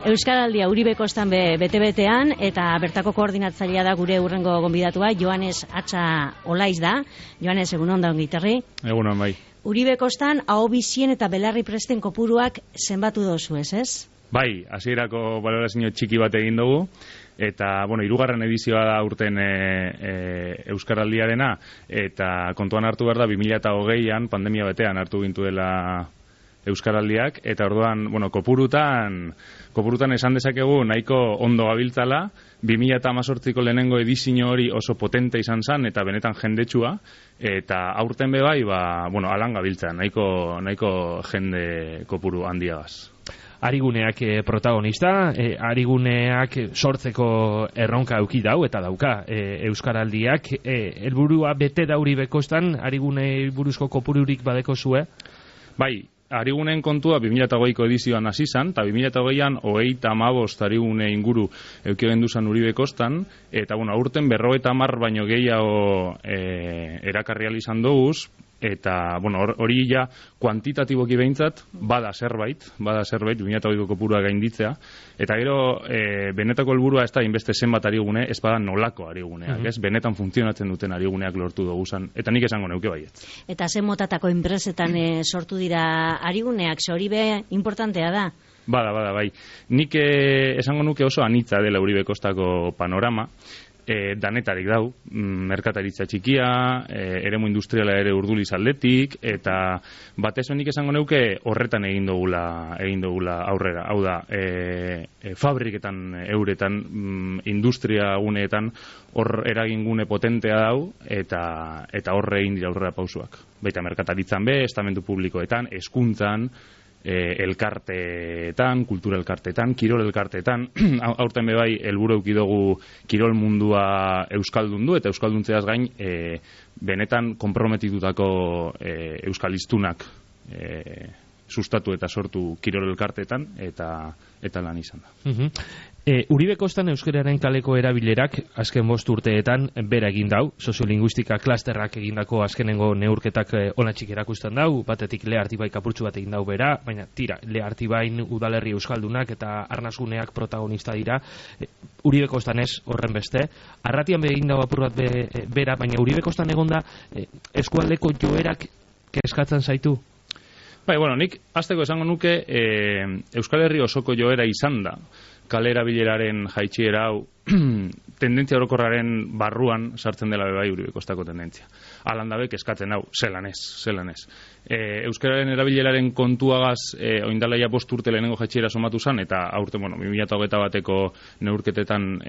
Euskaraldia Uribe Kostan bete-betean, eta bertako koordinatzailea da gure hurrengo gonbidatua, Joanes Atxa Olaiz da. Joanes, egunon da ongitarri. Egunon, bai. Uribe Kostan ahobizien eta belarri presten kopuruak zenbatu dozu, ez? Bai, hasierako balorazio txiki bat egin dugu, eta, hirugarren edizioa da urten Euskaraldiarena, eta kontuan hartu behar da 2020an, pandemia betean hartu gintu dela Euskaraldiak, eta orduan, kopurutan esan dezakegu nahiko ondo gabiltzala, 2018ko lehenengo edizio hori oso potente izan zen, eta benetan jendetsua, eta aurten bebai, alan gabiltza, nahiko jende kopuru handiagaz. Ariguneak protagonista, Ariguneak sortzeko erronka euki dau, eta dauka Euskaraldiak, helburua bete da Uribe Kostan, Arigune buruzko kopururik badeko zue? Bai, Arigunen kontua 2008ko edizioan hasi zan, eta 2008an 35 Arigune inguru eukigen duzan Uribe Kostan, eta aurten 50 baino gehiago erakarri izan doguz, eta hori ja kuantitatiboki behintzat bada zerbait 2008ko kopurua gainditzea, eta gero benetako helburua ez da inbeste zenbat Arigune, ez bada nolako Ariguneak, ez benetan funtzionatzen duten Ariguneak lortu doguzan, eta nik esango neuke baiet. Eta zen motatako enpresetan sortu dira Ariguneak, hori importantea da? Bada, bai. Nik esango nuke oso anitza dela Uribe Kostako panorama, danetarik dau, merkataritza txikia, eremu industriala ere Urduliz aldetik, eta batez nik esango neuke horretan egin dugula aurrera. Hau da, fabriketan euretan, industria guneetan, hor eragingune potentea dau, eta horre egin dira aurrera pausuak. Baita merkataritzan estamentu publikoetan, hezkuntzan, elkarteetan, kultura elkarteetan, kirol elkarteetan, aurten bebai helburu eduki dugu kirol mundua euskaldundu, eta euskalduntzeaz gain benetan konprometitutako euskaliztunak sustatu eta sortu kirol elkarteetan, eta lan izan da. Uribe Kostan euskararen kaleko erabilerak azken 5 urteetan bera egin dau, soziolinguistika klasterrak egindako azkenengo neurketak onatxik erakusten dau, batetik Lehartibai kapurtzu bat egin dau bera, baina tira, Lehartibain udalerri euskaldunak eta arnasguneak protagonista dira, Uribe Kostan ez horren beste, arratian egin dau apur bat bera, baina Uribe Kostan egonda eskualdeko joerak kezkatzen zaitu? Bai, nik hasteko esango nuke Euskal Herri osoko joera izan da, kale erabileraren jaitsiera hau tendentzia orokorraren barruan sartzen dela bebai Uribe Kostako tendentzia. Alandabek eskatzen hau, zelan ez. Euskararen erabileraren kontuagaz oindalaia 5 urte lehenengo jaitsiera somatu zen, eta aurten 2021 bateko neurketetan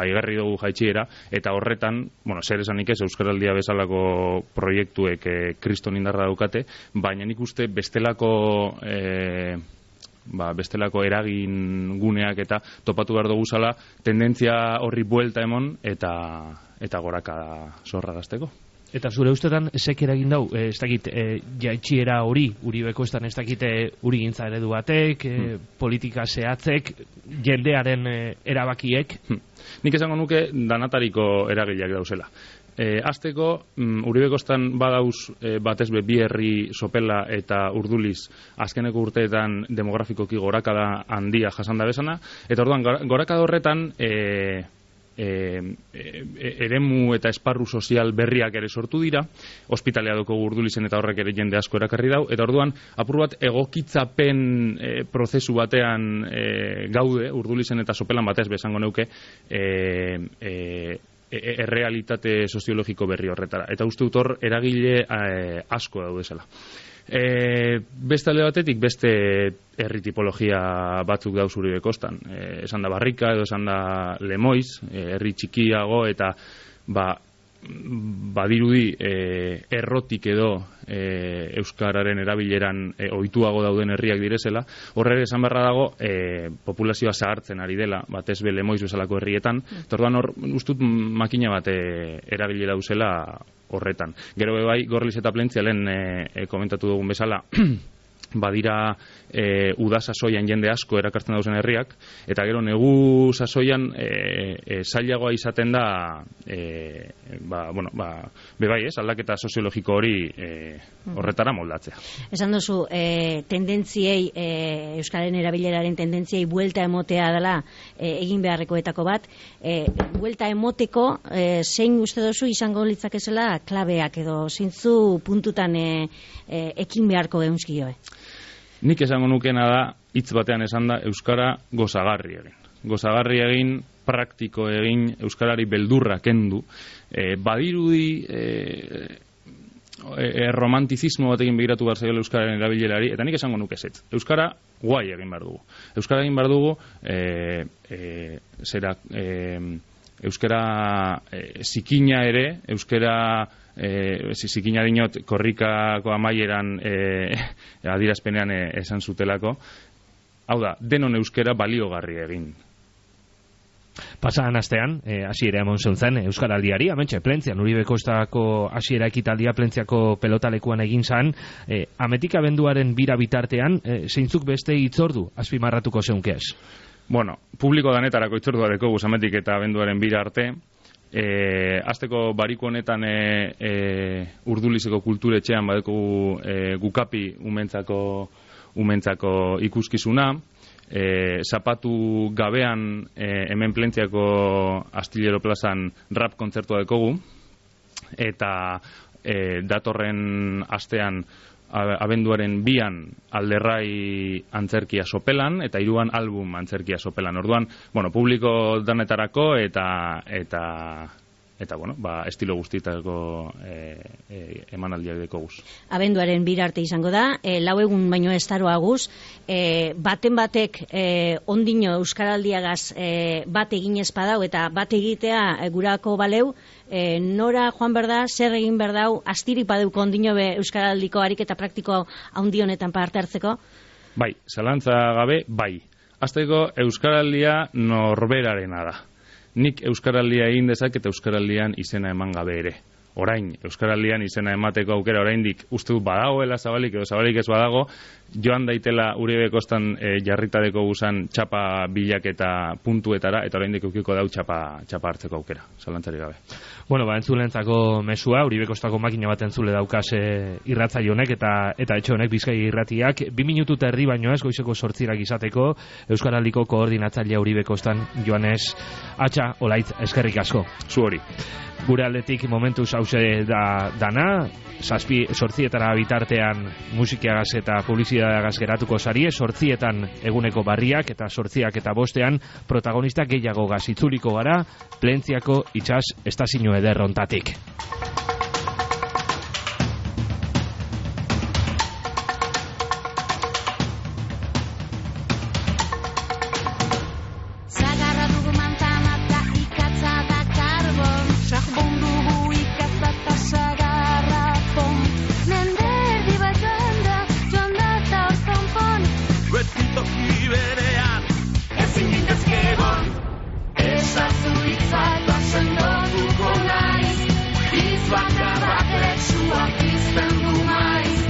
igarri dugu jaitsiera, eta horretan, zer esanik ez, Euskaraldia bezalako proiektuek kriston indarra daukate, baina nik uste bestelako eragin guneak eta topatu behar dugu zala tendentzia horri buelta emon eta goraka zorragazteko. Eta zure ustetan zek eragin dau, ez dakit jaitsiera hori, Uribe Kostan ez dakit urigintza eredu batek, politika zehatzek, jendearen erabakiek? Nik esango nuke danatariko eragileak dauzela. Azteko, Uribe Kostan badauz batez bi herri Sopela eta Urduliz azkeneko urteetan demografikoki gorakada handia jasanda bezana, eta orduan gorakada horretan eremu eta esparru sozial berriak ere sortu dira, ospitalea doko Urdulizen eta horrek ere jende asko erakarri dau, eta orduan apur bat egokitzapen prozesu batean gaude, Urdulizen eta Sopelan batez bezango neuke, errealitate soziologiko berri horretara. Eta uste dut hor eragile asko daudezela. Beste alde batetik, beste herri tipologia batzuk dauz Uribe Kostan. Esan da Barrika edo esan da Lemoiz, herri txikiago eta badirudi errotik edo euskararen erabileran ohituago dauden herriak direzela. Horre esan beharra dago populazioa zahartzen ari dela, batez be Lemoiz bezalako herrietan, eta orduan hor ustut makina bat erabile dauzela horretan. Gero bai, Gorliz eta Plentzia lehen komentatu dugun bezala badira uda sasoian jende asko erakartzen dauzen herriak, eta gero negu sasoian zailagoa izaten da bebai ez, aldaketa soziologiko hori horretara moldatzea. Esan duzu, tendentziei, Euskararen erabileraren tendentziei buelta emotea dela egin beharrekoetako bat, buelta emoteko zein uste duzu izango litzakezela klabeak edo zintzu puntutan ekin beharko geunzkioe? Nik esango nukena da, hitz batean esan da, Euskara gozagarri egin. Gozagarri egin, praktiko egin, Euskarari beldurra kendu. Badirudi romantizismo batekin begiratu behar zaiola Euskararen erabilerari, eta nik esango nuke ezetz. Euskara guai egin behar dugu. Euskara egin behar dugu, Euskara zikina ere, Euskara zikina dinot korrikako amaieran adirazpenean esan zutelako. Hau da, denon euskera baliogarri egin. Pasadan astean, hasiera emon zen Euskaraldiari, amentxe, Plentzian, Uribe Kostako hasiera ekitaldia Plentziako pelotalekuan egin zan, ametik abenduaren bira bitartean, zeintzuk beste hitzordu azpimarratuko zeunkez? Bueno, publiko danetarako hitzordua dekogu ametik eta abenduaren bira arte. Azteko bariko honetan Urdulizeko kulturetxean badeko gukapi umentzako ikuskizuna, zapatu gabean hemen Plentziako Astillero plazan rap kontzertua dekogu, eta datorren astean abenduaren 2an Alderrai antzerkia sopelan, eta 3an album antzerkia sopelan. Orduan, bueno, publiko danetarako eta estilo guztietako emanaldiak dekoguz. Abenduaren 2 arte izango da, 4 egun baino estaroa guz, baten batek ondino Euskaraldiagaz bat egin espadau eta bat egitea gurako baleu, nora joan berda, zer egin berdau, astirik badeuko ondino be Euskaraldiko ariketa praktiko handi honetan parte hartzeko? Bai, zalantza gabe, bai. Azteko Euskaraldia norberarena da. Nik Euskaraldia egin dezaket Euskaraldian izena eman gabe ere. Orain, Euskaraldian izena emateko aukera oraindik uste dut badagoela zabalik edo zabalik ez badago, joan daitela Uribe Kostan jarritadeko guzan txapa bilaketa puntuetara, eta oraindik eukiko dau txapa hartzeko aukera, zalantzari gabe. Bueno, entzulentzako mesua, Uribe Kostako makina bat entzule daukaz irratzaile honek eta etxe honek Bizkai irratiak, 2 minutu eta erdi baino ez, goizeko 8 izateko, Euskaraldiko koordinatzailea Uribe Kostan Joanes Atxa Olaitz, eskerrik asko. Zu hori. Gure aldetik momentuz hause da dana, 7 bitartean musikiagaz eta publizitateagaz geratuko zarie, 8 eguneko barriak eta 8 eta 5 protagonistak gehiago gaz itzuliko gara Plentziako itsas estazio ederrontatik. Toki bere